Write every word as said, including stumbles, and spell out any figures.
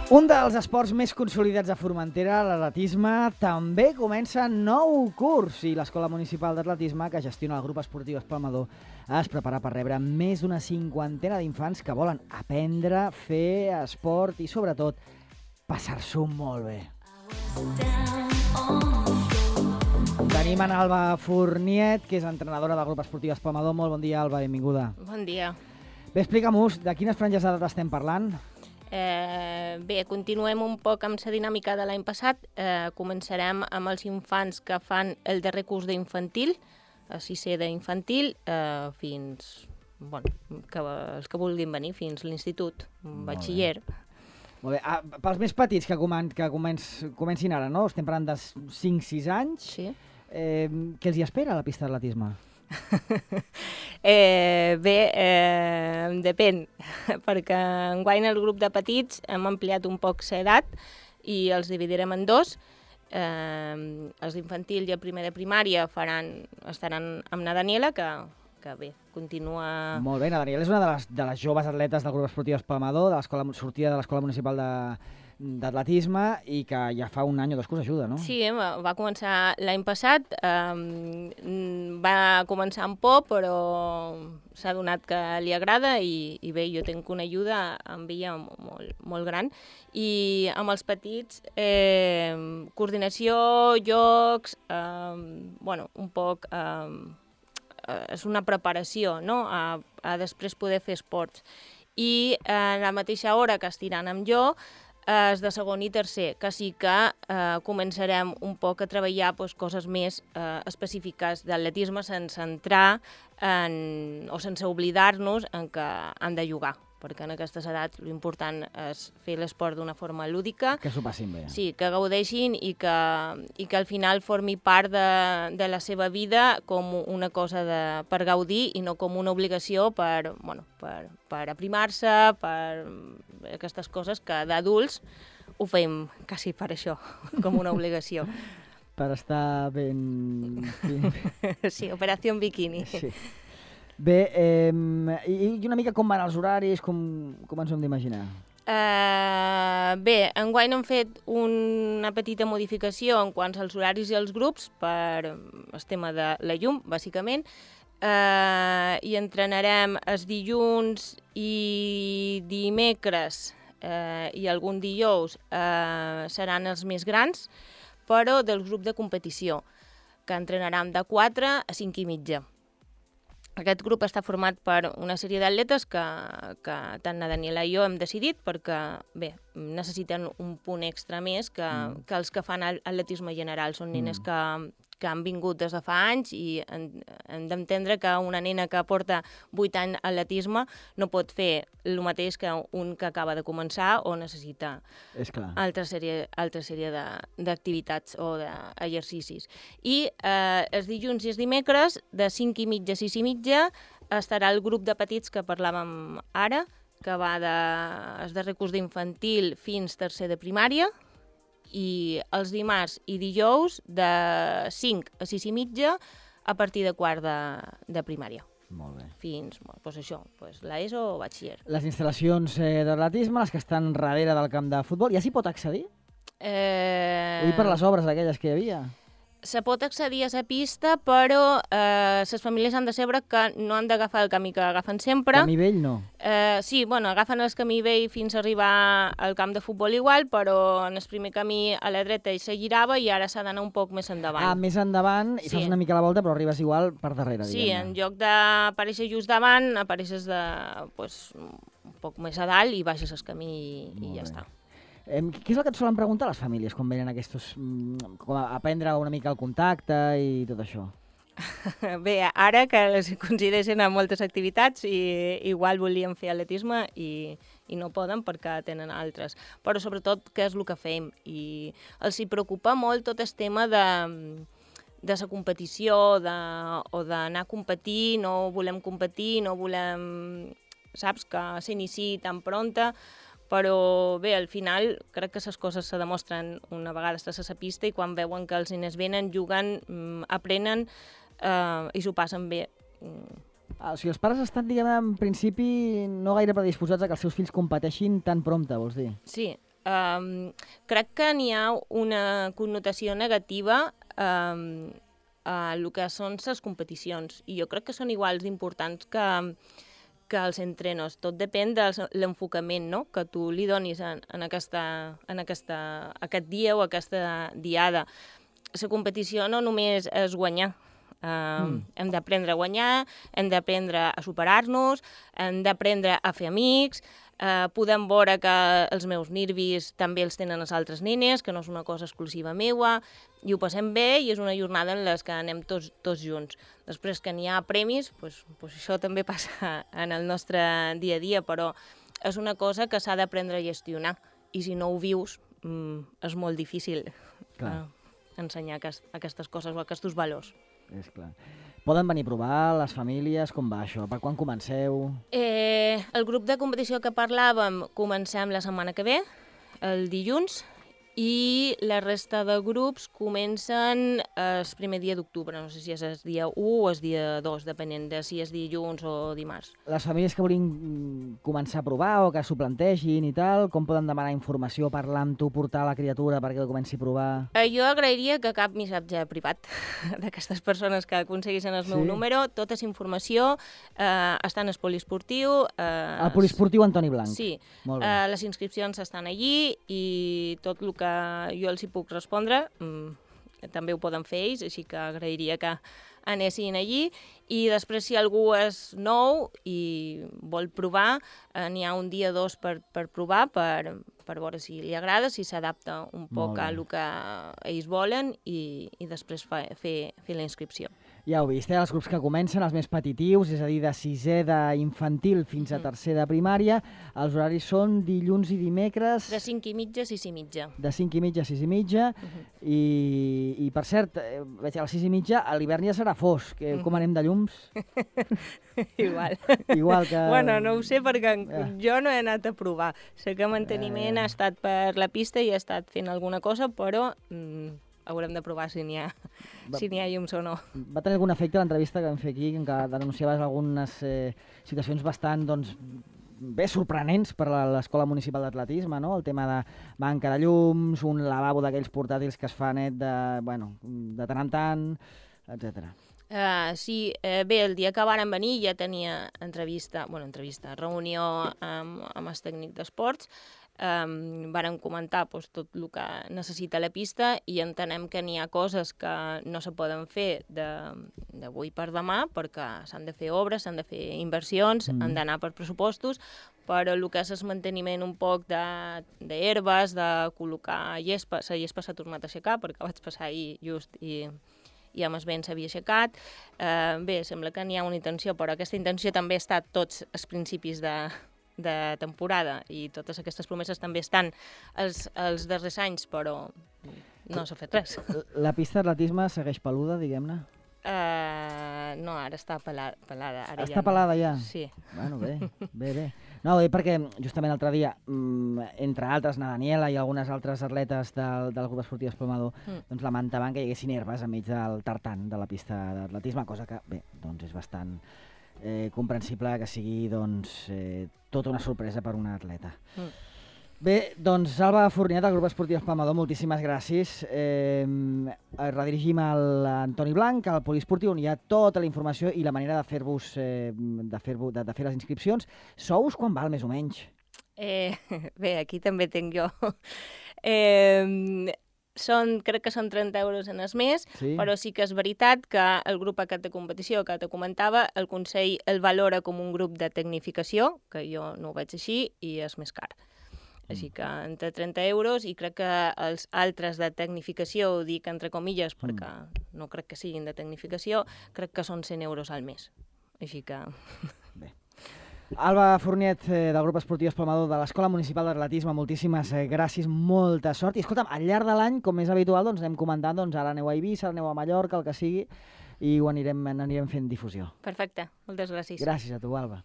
Un dels esports més consolidats a Formentera, l'atletisme, també comença nou curs i l'Escola Municipal d'Atletisme, que gestiona el grup esportiu Espalmador, es prepara per rebre més d'una cinquantena d'infants que volen aprendre, fer esport i, sobretot, passar-s'ho molt bé. Tenim en Alba Fourniet, que és entrenadora del grup esportiu Espalmador. Molt bon dia, Alba, benvinguda. Bon dia. Bé, explica'm-us, de quines franges d'edat estem parlant? Eh, bé, continuem un poc amb la dinàmica de l'any passat. Eh, començarem amb els infants que fan el darrer curs d'infantil, a sisè d'infantil, eh, fins, bueno, que, els que vulguin venir, fins l'institut, batxiller. Molt bé. Ah, pels més petits que, comen que començ comencin ara, no? Estem parlant de cinc sis anys. Sí. Eh, què els hi espera a la pista d'atletisme? eh, bé, eh, depèn, perquè enguany el grup de petits hem ampliat un poc l'edat i els dividirem en dos. Eh, els d'infantil i el primer de primària faran, estaran amb na Daniela, que, que bé, continua... Molt bé, na Daniela és una de les, de les joves atletes del grup esportiu Espalmador, de l'escola sortida de l'Escola Municipal de d'atletisme i que ja fa un any o dos que us ajuda, no? Sí, eh, va començar l'any passat, eh, va començar amb por, però s'ha donat que li agrada i, i bé, jo tinc una ajuda amb ella molt, molt gran. I amb els petits, eh, coordinació, jocs, eh, bueno, un poc... Eh, és una preparació, no?, a, a després poder fer esports. I eh, a la mateixa hora que estiran amb jo, és de segon i tercer, que sí que eh, començarem un poc a treballar pues, coses més eh, específiques d'atletisme sense entrar en, o sense oblidar-nos en que han de jugar, perquè en aquestes edats l'important és fer l'esport d'una forma lúdica. Que s'ho passin bé. Sí, que gaudeixin i que, i que al final formi part de, de la seva vida com una cosa de, per gaudir i no com una obligació per, bueno, per, per aprimar-se, per aquestes coses que d'adults ho fem quasi per això, com una obligació. Per estar ben... Sí, operació bikini. Sí. Bé, eh, i una mica com van els horaris, com, com ens ho hem d'imaginar? Uh, bé, enguany hem fet una petita modificació en quant als horaris i els grups per el tema de la llum, bàsicament, uh, i entrenarem els dilluns i dimecres uh, i algun dijous uh, seran els més grans, però del grup de competició, que entrenarem de quatre a cinc i mitja. Aquest grup està format per una sèrie d'atletes que, que tant la Daniela i jo hem decidit perquè, bé, necessiten un punt extra més que, mm. que els que fan atletisme general. Són nenes mm. que, que han vingut des de fa anys i hem, hem d'entendre que una nena que porta vuit anys a atletisme no pot fer el mateix que un que acaba de començar o necessita És clar. altra sèrie, altra sèrie d'activitats o d'exercicis. I eh, els dilluns i els dimecres, de cinc i mitja a sis i mitja, estarà el grup de petits que parlàvem ara, que va de, es darrer curs d'infantil fins tercer de primària, i els dimarts i dijous de cinc a sis i mitja a partir de quart de, de primària. Molt bé. Fins, bueno, doncs això, doncs l'ESO o batxiller. Les instal·lacions eh, d'atletisme, les que estan darrere del camp de futbol, ja s'hi pot accedir? Eh... Ho dic per les obres aquelles que hi havia. Se pot accedir a la pista, però eh, les famílies han de saber que no han d'agafar el camí que agafen sempre. Camí vell no? Eh, sí, bueno, agafen el camí vell fins a arribar al camp de futbol igual, però en el primer camí a la dreta hi se girava i ara s'ha d'anar un poc més endavant. Ah, més endavant i sí. Fas una mica la volta, però arribes igual per darrere, sí, diguem-ne. En lloc d'aparèixer just davant, apareixes de, pues, un poc més a dalt i baixes el camí i, i ja bé. Està. Eh, què és el que et solen preguntar les famílies quan venen aquests... com a aprendre una mica el contacte i tot això? Bé, ara que les coincideixen amb moltes activitats i igual volien fer atletisme i, i no poden perquè tenen altres. Però sobretot què és el que fem. I els hi preocupa molt tot el tema de, de la competició de, o d'anar a competir, no volem competir, no volem, saps, que s'iniciï tan pronta. Però bé, al final crec que les coses se demostren una vegada estàs a la pista i quan veuen que els nens venen, juguen, aprenen eh, i s'ho passen bé. Ah, o sigui, els pares estan, diguem, en principi no gaire predisposats a que els seus fills competeixin tan prompte, vols dir? Sí, Um, crec que n'hi ha una connotació negativa um, a el que són les competicions, i jo crec que són iguals d'importants que, que els entrenos. Tot depèn de l'enfocament, no?, que tu li donis en, en, aquesta, en aquesta, aquest dia o aquesta diada. La competició no només és guanyar. Uh, mm. Hem d'aprendre a guanyar, hem d'aprendre a superar-nos, hem d'aprendre a fer amics, uh, podem veure que els meus nervis també els tenen les altres nenes, que no és una cosa exclusiva meua, i ho passem bé i és una jornada en les que anem tots, tots junts. Després que n'hi ha premis, pues, pues això també passa en el nostre dia a dia, però és una cosa que s'ha d'aprendre a gestionar, i si no ho vius mm, és molt difícil uh, ensenyar aquest, aquestes coses o aquests valors. És clar. Poden venir a provar les famílies? Com va això? Per quan comenceu? Eh, el grup de competició que parlàvem comencem la setmana que ve, el dilluns, i la resta de grups comencen el primer dia d'octubre. No sé si és el dia u o el dia dos, depenent de si és dilluns o dimarts. Les famílies que vulguin començar a provar o que s'ho plantegin i tal, com poden demanar informació, parlar amb tu, portar la criatura perquè ho comenci a provar? Eh, jo agrairia que cap missatge privat d'aquestes persones que aconseguissin el meu sí. número, tota la informació eh, està en el poliesportiu. Eh, el poliesportiu Antoni Blanc. Sí. Molt bé. Eh, les inscripcions estan allí i tot el que jo els hi puc respondre, mm, també ho poden fer ells, així que agrairia que anessin allí. I després, si algú és nou i vol provar, eh, n'hi ha un dia o dos per, per provar, per, per veure si li agrada, si s'adapta un poc a el que ells volen i, i després fa, fer, fer la inscripció. Ja ho vist, eh? Els grups que comencen, els més petitius, és a dir, de sisè d'infantil fins a tercer de primària, els horaris són dilluns i dimecres... De cinc i mitja a sis i mitja. De cinc i mitja a sis i mitja, uh -huh. i, i per cert, veig a les sis i mitja, a l'hivern ja serà fosc. Uh -huh. Com anem de llums? Igual. Igual que... Bueno, no ho sé perquè ja. jo no he anat a provar. Sé que manteniment ja, ja. ha estat per la pista i ha estat fent alguna cosa, però... Mm, haurem de provar si n'hi ha, si n'hi ha llums o no. Va tenir algun efecte l'entrevista que vam fer aquí, en què denunciaves algunes eh, situacions bastant, doncs, bé sorprenents per a l'Escola Municipal d'Atletisme, no? El tema de manca de llums, un lavabo d'aquells portàtils que es fa net de, bueno, de tant en tant, etcètera. Uh, sí, eh, bé, el dia que varen venir ja tenia entrevista, bueno, entrevista, reunió amb, amb el tècnic d'esports. Um, varen comentar pues, tot el que necessita la pista i entenem que n'hi ha coses que no se poden fer d'avui per demà perquè s'han de fer obres, s'han de fer inversions, mm. han d'anar per pressupostos, però el que és el manteniment un poc d'herbes, de, de col·locar gespa, la gespa s'ha tornat a aixecar perquè vaig passar ahir just i, i amb el vent s'havia aixecat. Uh, bé, sembla que n'hi ha una intenció, però aquesta intenció també ha estat tots els principis de de temporada i totes aquestes promeses també estan els, els darrers anys, però no s'ha fet res. La pista d'atletisme segueix peluda, diguem-ne? Uh, no, ara està pelada. pelada. Ara està ja pelada no. ja? Sí. Bueno, bé, bé, bé. No, ho dic perquè justament l'altre dia, entre altres, na Daniela i algunes altres atletes del, del grup esportiu Esplumador, mm. doncs lamentaven que hi haguessin herbes enmig del tartan de la pista d'atletisme, cosa que, bé, doncs és bastant... Eh, comprensible que sigui doncs, eh, tota una sorpresa per una atleta. Mm. Bé, doncs Alba Fournier del grup esportiu Esplumador, moltíssimes gràcies. Eh, redirigim a l'Antoni Blanc, al poliesportiu, on hi ha tota la informació i la manera de fer-vos eh, de, fer de, de fer les inscripcions. Sous quan val, més o menys? Eh, bé, aquí també tinc jo. Eh... Són, crec que són trenta euros en el mes, sí. Però sí que és veritat que el grup aquest de competició que te comentava, el Consell el valora com un grup de tecnificació, que jo no ho veig així, i és més car. Mm. Així que entre trenta euros, i crec que els altres de tecnificació, ho dic entre comilles, perquè mm. no crec que siguin de tecnificació, crec que són cent euros al mes. Així que... Bé. Alba Fournier, eh, del grup esportiu Esplumador de l'Escola Municipal d'Atletisme, moltíssimes eh, gràcies, molta sort. I escolta'm, al llarg de l'any, com és habitual, doncs anem comentant, doncs ara aneu a Eivissa, ara aneu a Mallorca, el que sigui, i ho anirem, anirem fent difusió. Perfecte, moltes gràcies. Gràcies a tu, Alba.